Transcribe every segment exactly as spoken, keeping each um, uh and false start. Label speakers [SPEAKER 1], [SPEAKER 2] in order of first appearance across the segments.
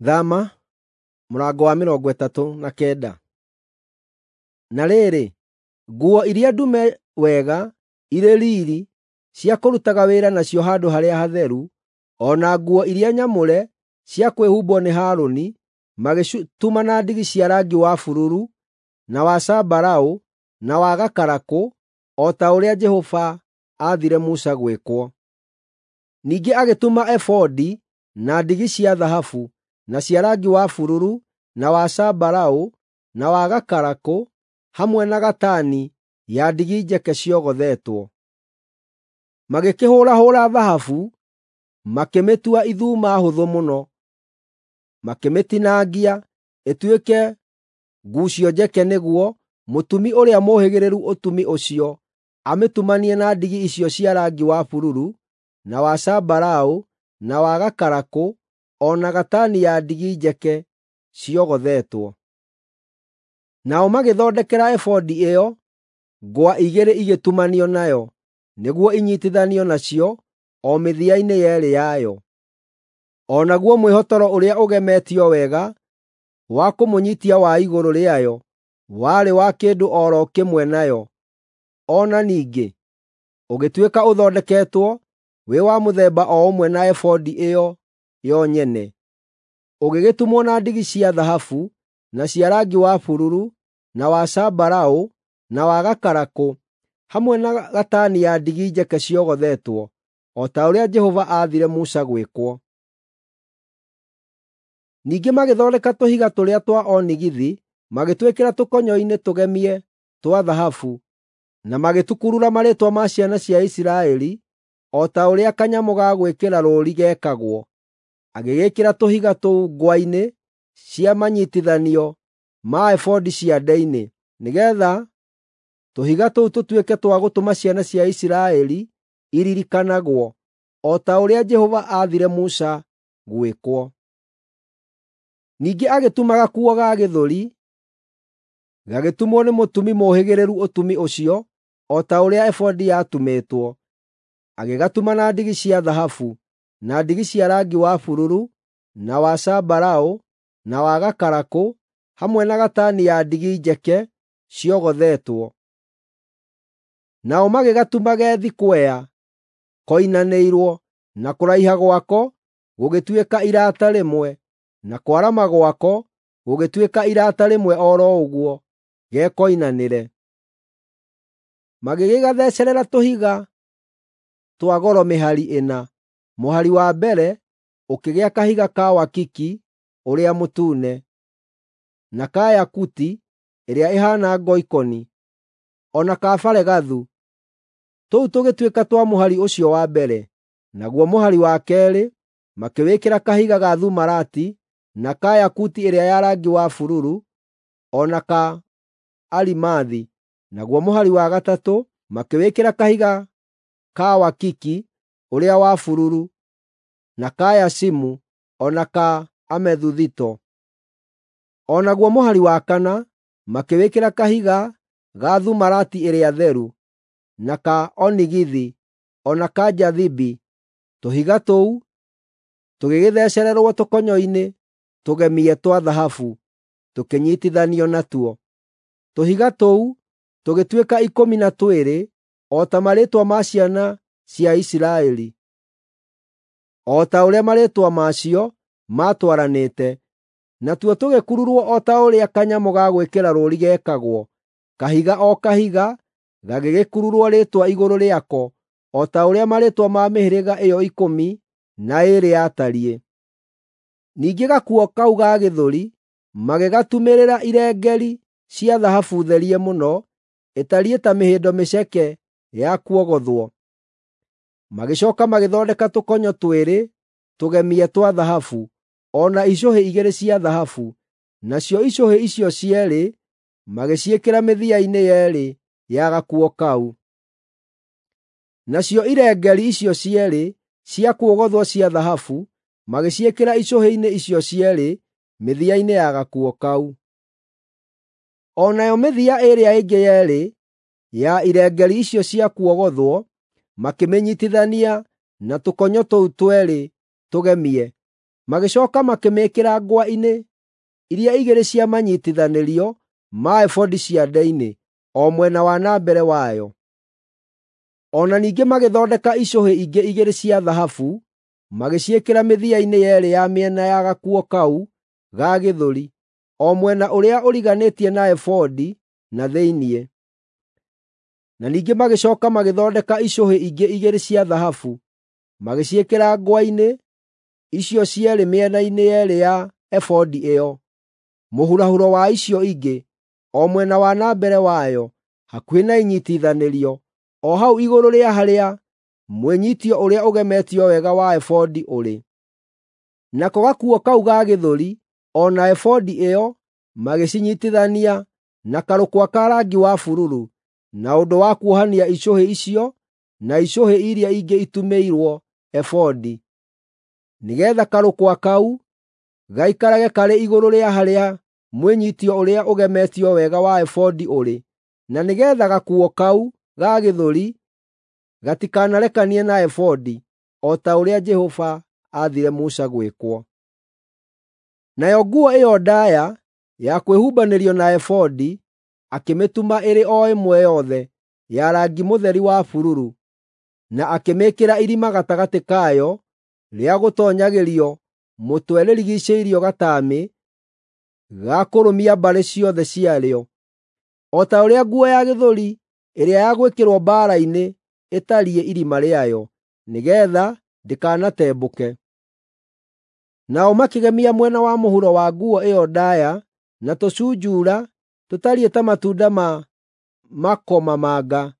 [SPEAKER 1] Thama mũrango wa mĩrongo ĩtatũ na kenda. Na rĩrĩ, nguo iria ndume wega irĩ riiri cia kũrutaga wĩra nacio handũ-harĩa-hatheru, o na nguo iria nyamũre cia kwĩhumbwo nĩ Harũni, magĩcituma na ndigi cia rangi wa bururu, na wa zambarau, na wa gakarakũ, o ta ũrĩa Jehova aathire Musa gwĩkwo. Ningĩ agĩtuma ebodi na ndigi cia thahabu, na cia rangi wa bururu, na wa zambarau, na wa gakarakũ, hamwe na gatani ya ndigi njeke ciogothetwo. Magĩkĩhũũrahũũra thahabu, makĩmĩtua ithuma hũthũ mũno, makĩmĩtinangia ĩtuĩke nguucio njeke nĩguo mũtumi ũrĩa mũũhĩgĩrĩru ũtumi ũcio amĩtumanie na ndigi icio cia rangi wa bururu, na wa zambarau, na wa gakarakũ, o na gatani ya ndigi njeke ciogothetwo. Nao magĩthondekera ebodi ĩyo ngwa igĩrĩ igĩtumanio nayo, nĩguo inyiitithanio nacio o mĩthia-inĩ yeerĩ yayo. O naguo mwĩhotoro ũrĩa ũgemetio wega wa kũmũnyiitia wa igũrũ rĩayo warĩ wa kĩndũ o ro kĩmwe nayo, o na ningĩ ũgĩtuĩka ũthondeketwo wĩ wa mũthemba o ũmwe na ebodi ĩyo yo nyene. Ũgĩgĩtumwo na ndigi cia thahabu, na cia rangi wa bururu, na wa zambarau, na wa gakarakũ, hamwe na gatani ya ndigi njeke ciogothetwo, o ta ũrĩa Jehova aathire Musa gwĩkwo. Ningĩ magĩthondeka tũhiga tũrĩa twa onigithi, magĩtwĩkĩra tũkonyo-inĩ tũgemie twa thahabu, na magĩtũkurura marĩĩtwa ma ciana cia Isiraeli, o ta ũrĩa kanyamũ ga gwĩkĩra rũũri gekagwo. Agĩgĩĩkĩra tũhiga tũu ngwa-inĩ cia manyiitithanio ma ebodi ciande-inĩ, nĩgeetha tũhiga tũu tũtuĩke twa gũtũma ciana cia Isiraeli iririkanagwo, o ta ũrĩa Jehova aathire Musa gwĩkwo. Ningĩ agĩtuma gakuo ga gĩthũri, gagĩtumwo nĩ mũtumi mũũhĩgĩrĩru ũtumi ũcio, o ta ũrĩa ebodi yatumĩtwo. Agĩgatuma na ndigi cia thahabu, na ndigi cia rangi wa bururu, na wa zambarau, na wa gakarakũ, hamwe na gatani ya ndigi njeke ciogothetwo. Nao magĩgatuma ge thikwea koinanĩirwo, na kũraiha gwako gũgĩtuĩka irata rĩmwe, na kwarama gwako gũgĩtuĩka irata rĩmwe o ro ũguo, gekoinanĩre. Magĩgĩgathecerera tũhiga twa goro mĩhari ĩna. Mũhari wa mbere ũkĩgĩa kahiga ka wakiki ũrĩa mũtune, na ka yakuti ĩrĩa ĩhaana ngoikoni, o na ka baregathu. Tũu tũgĩtuĩka twa mũhari ũcio wa mbere. Naguo mũhari wa keerĩ makĩwĩkĩra kahiga ga thumarati, na ka yakuti ĩrĩa ya rangi wa bururu, o na ka arimathi. Naguo mũhari wa gatatũ makĩwĩkĩra kahiga ka wakiki ũrĩa wa bururu, na ka yacimu, o na ka amethuthito. O naguo mũhari wa kana makĩwĩkĩra kahiga ga thumarati ĩrĩa theru, na ka onigithi, o na ka njathibi. Tũhiga tũu tũgĩgĩthecererwo tũkonyo-inĩ tũgemie twa thahabu, tũkĩnyiitithanio natuo. Tũhiga tũu tũgĩtuĩka ikũmi na twĩrĩ, o ta marĩĩtwa ma ciana cia Isiraeli, o ta ũrĩa marĩĩtwa macio maatwaranĩte. Natuo tũgĩkururwo o ta ũrĩa kanyamũ ga gwĩkĩra rũũri gekagwo, kahiga o kahiga gagĩgĩkururwo rĩĩtwa igũrũ rĩako, o ta ũrĩa marĩĩtwa ma mĩhĩrĩga ĩyo ikũmi na ĩĩrĩ yatariĩ. Ningĩ gakuo kau ga gĩthũri magĩgatumĩrĩra irengeeri cia thahabu therie mũno, ĩtariĩ ta mĩhĩndo mĩceke ya kuogothwo. Magĩcooka magĩthondeka tũkonyo twĩrĩ tũgemie twa thahabu, o na icũhĩ igĩrĩ cia thahabu. Nacio icũhĩ icio cierĩ magĩciĩkĩra mĩthia-inĩ yeerĩ ya gakuo kau. Nacio irengeeri icio cierĩ cia kuogothwo cia thahabu magĩciĩkĩra icũhĩ-inĩ icio cierĩ mĩthia-inĩ ya gakuo kau. O nayo mĩthia ĩrĩa ĩngĩ yeerĩ ya irengeeri icio cia kuogothwo makĩmĩnyiitithania na tũkonyo tũu tweerĩ tũgemie, Magĩcooka makĩmĩĩkĩra ngwa-inĩ iria igĩrĩ cia manyiitithanĩrio ma ebodi ciande-inĩ, o mwena wa na mbere wayo. O na ningĩ magĩthondeka icũhĩ ingĩ igĩrĩ cia thahabu, magĩciĩkĩra mĩthia-inĩ yeerĩ ya mĩena ya gakuo kau ga gĩthũri, o mwena ũrĩa ũriganĩtie na ebodi na thĩinĩ. Na ningĩ magĩcooka magĩthondeka icũhĩ ingĩ igĩrĩ cia thahabu, magĩciĩkĩra ngwa-inĩ icio cierĩ mĩena-inĩ yeerĩ ya ebodi ĩyo, mũhurahuro wa icio ingĩ, o mwena wa na mbere wayo, hakuhĩ na inyiitithanĩrio, o hau igũrũ rĩa harĩa mwĩnyiitio ũrĩa ũgemetio wega wa ebodi ũrĩ. Nako gakuo kau ga gĩthũri o na ebodi ĩyo magĩcinyiitithania na karũkwa ka rangi wa bururu, na ũndũ wa kuohania icũhĩ icio na icũhĩ iria ingĩ itumĩirwo ebodi, nĩgeetha karũkwa kau gaikarage karĩ igũrũ rĩa harĩa mwĩnyiitio ũrĩa ũgemetio wega wa ebodi ũrĩ, na nĩgeetha gakuo kau ga gĩthũri gatikanarekanie na ebodi, o ta ũrĩa Jehova aathire Musa gwĩkwo. Nayo nguo ĩyo ndaaya ya kwĩhumbanĩrio na ebodi akĩmĩtuma ĩrĩ o ĩmwe yothe ya rangi mũtheri wa bururu, na akĩmĩĩkĩra irima gatagatĩ kayo rĩa gũtoonyagĩrio mũtwe rĩrigiicĩirio gataamĩ ga kũrũmia mbarĩ ciothe ciarĩo, o ta ũrĩa nguo ya gĩthũri ĩrĩa ya gwĩkĩrwo mbaara-inĩ ĩtariĩ irima rĩayo, nĩgeetha ndĩkanatembũke. Nao makĩgemia mwena wa mũhuro wa nguo ĩyo ndaaya na tũcunjuura tũtariĩ ta matunda ma makomamanga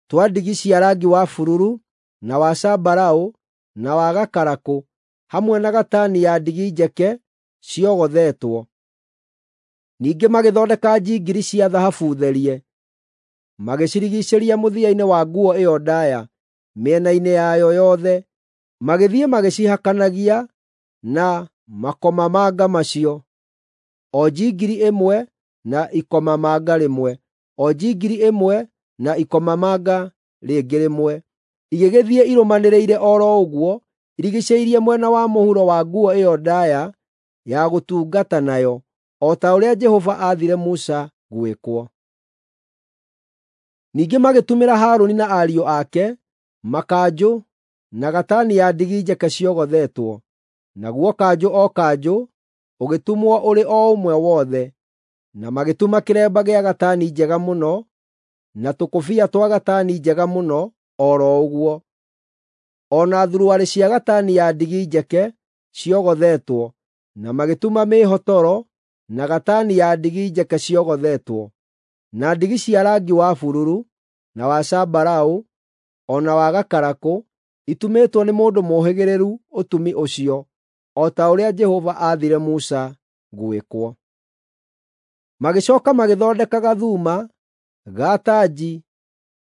[SPEAKER 1] twa ndigi cia rangi wa bururu, na wa zambarau, na wa gakarakũ, hamwe na gatani ya ndigi njeke ciogothetwo. Ningĩ magĩthondeka njingiri cia thahabu therie, magĩcirigiicĩria mũthia-inĩ wa nguo ĩyo ndaaya mĩena-inĩ yayo yothe, magĩthiĩ magĩcihakanagia na makomamanga macio, o njingiri ĩmwe na ikomamanga rĩmwe, o njingiri ĩmwe na ikomamanga rĩngĩ rĩmwe, igĩgĩthiĩ irũmanĩrĩire o ro ũguo, irigiicĩirie mwena wa mũhuro wa nguo ĩyo ndaaya ya gũtungata nayo, o ta ũrĩa Jehova aathire Musa gwĩkwo. Ningĩ magĩtumĩra Harũni na ariũ ake makanjũ na gatani ya ndigi njeke ciogothetwo, naguo kanjũ o kanjũ ũgĩtumwo ũrĩ o ũmwe wothe, na magĩtuma kĩremba gĩa gatani njega mũno na tũkũbia twa gatani njega mũno o ro ũguo, o na thuruarĩ cia gatani ya ndigi njeke ciogothetwo, na magĩtuma mĩĩhotoro na gatani ya ndigi njeke ciogothetwo, na ndigi cia rangi wa bururu, na wa zambarau, o na wa gakarakũ, itumĩtwo nĩ mũndũ mũũhĩgĩrĩru ũtumi ũcio, o ta ũrĩa Jehova aathire Musa gwĩkwo. Magĩcooka magĩthondeka gathuma ga tanji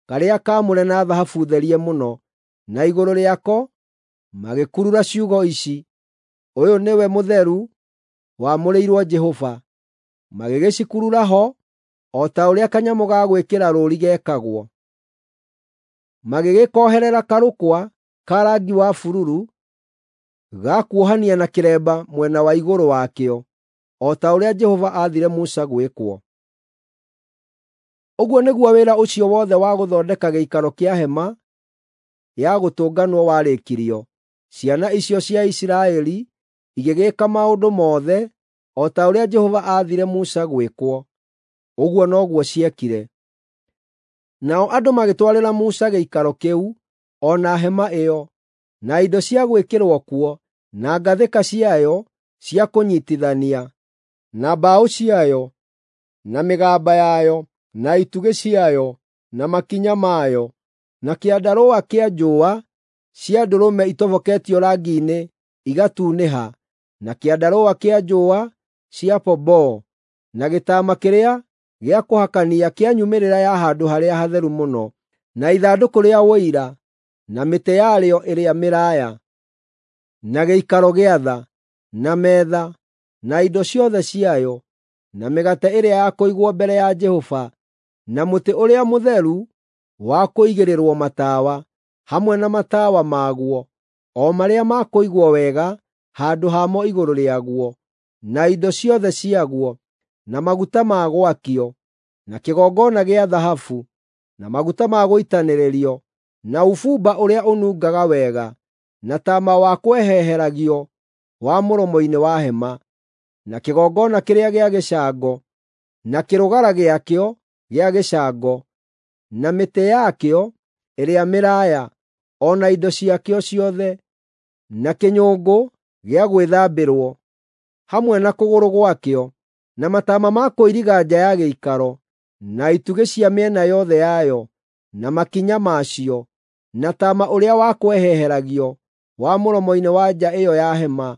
[SPEAKER 1] karĩa kaamũre na thahabu therie mũno, na igũrũ rĩako magĩkurura ciugo ici: “Ũyũ nĩwe mũtheru, wamũrĩirwo Jehova.” Magĩgĩcikurura ho o ta ũrĩa kanyamũ ga gwĩkĩra rũũri gekagwo. Magĩgĩkoherera karũkwa ka rangi wa bururu ga kuohania na kĩremba mwena wa igũrũ wakĩo, o ta ũrĩa Jehova aathire Musa gwĩkwo. Ũguo nĩguo wĩra ũcio wothe wa gũthondeka gĩikaro kĩa hema ya gũtũnganwo warĩkirio. Ciana icio cia Isiraeli igĩgĩĩka maũndũ mothe o ta ũrĩa Jehova aathire Musa gwĩkwo. Ũguo noguo ciekire. Nao andũ magĩtwarĩra Musa gĩikaro kĩu, o na hema ĩyo, na indo cia gwĩkĩrwo kuo, na ngathĩka ciayo cia kũnyiitithania, na mbaũ ciayo, na mĩgamba yayo, na itugĩ ciayo, na makinya mayo, na kĩandarũa kĩa njũũa cia ndũrũme itoboketio rangi-inĩ igatunĩha, na kĩandarũa kĩa njũũa cia pomboo, na gĩtama kĩrĩa gĩa kũhakania kĩa nyumĩrĩra ya Handũ-harĩa-Hatheru-Mũno, na ithandũkũ rĩa Ũira, na mĩtĩ yarĩo ĩrĩa mĩraaya, na gĩikaro gĩa tha, na metha, na indo ciothe ciayo, na mĩgate ĩrĩa ya kũigwo mbere ya Jehova, na mũtĩ ũrĩa mũtheru wa kũigĩrĩrwo matawa, hamwe na matawa maguo, o marĩa ma kũigwo wega, handũ hamo igũrũ rĩaguo, na indo ciothe ciaguo, na maguta ma gwakio, na kĩgongona gĩa thahabu, na maguta ma gũitanĩrĩrio, na ũbumba ũrĩa ũnungaga wega, na taama wa kweheheragio wa mũromo-inĩ wa hema, na kĩgongona kĩrĩa gĩa gĩcango, na kĩrũgara gĩakĩo gĩa gĩcango, na mĩtĩ yakĩo ĩrĩa mĩraaya, o na indo ciakĩo ciothe, na kĩnyũngũ gĩa gwĩthambĩrwo, hamwe na kũgũrũ gwakĩo, na mataama ma kũiriga nja ya gĩikaro, na itugĩ cia mĩena yothe yayo, na makinya macio, na taama ũrĩa wa kweheheragio wa mũromo-inĩ wa nja ĩyo ya hema,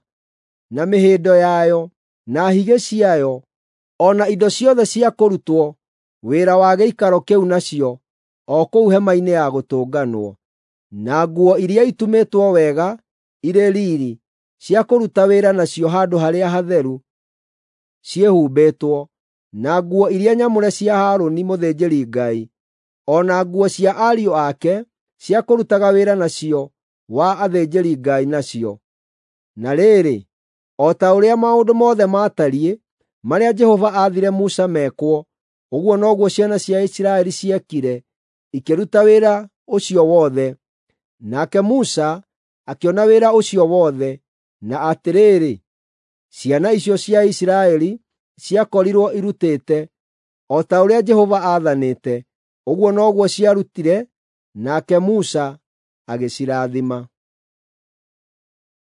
[SPEAKER 1] na mĩhĩndo yayo, na higĩ ciayo, o na indo ciothe cia kũrutwo wĩra wa gĩikaro kĩu nacio, o kũu hema-inĩ ya gũtũnganwo, na nguo iria itumĩtwo wega irĩ riiri cia kũruta wĩra nacio handũ harĩa hatheru ciĩhumbĩtwo, na nguo iria nyamũre cia Harũni mũthĩnjĩri-Ngai, o na nguo cia ariũ ake cia kũrutaga wĩra nacio wa athĩnjĩri-Ngai nacio. Na rĩrĩ, o ta ũrĩa maũndũ mothe maatariĩ marĩa Jehova aathire Musa mekwo, ũguo noguo ciana cia Isiraeli ciekire, ikĩruta wĩra ũcio wothe. Nake Musa akĩona wĩra ũcio wothe, na atĩrĩrĩ, ciana icio cia Isiraeli ciakorirwo irutĩte o ta ũrĩa Jehova aathanĩte, ũguo noguo ciarutire, nake Musa agĩcirathima.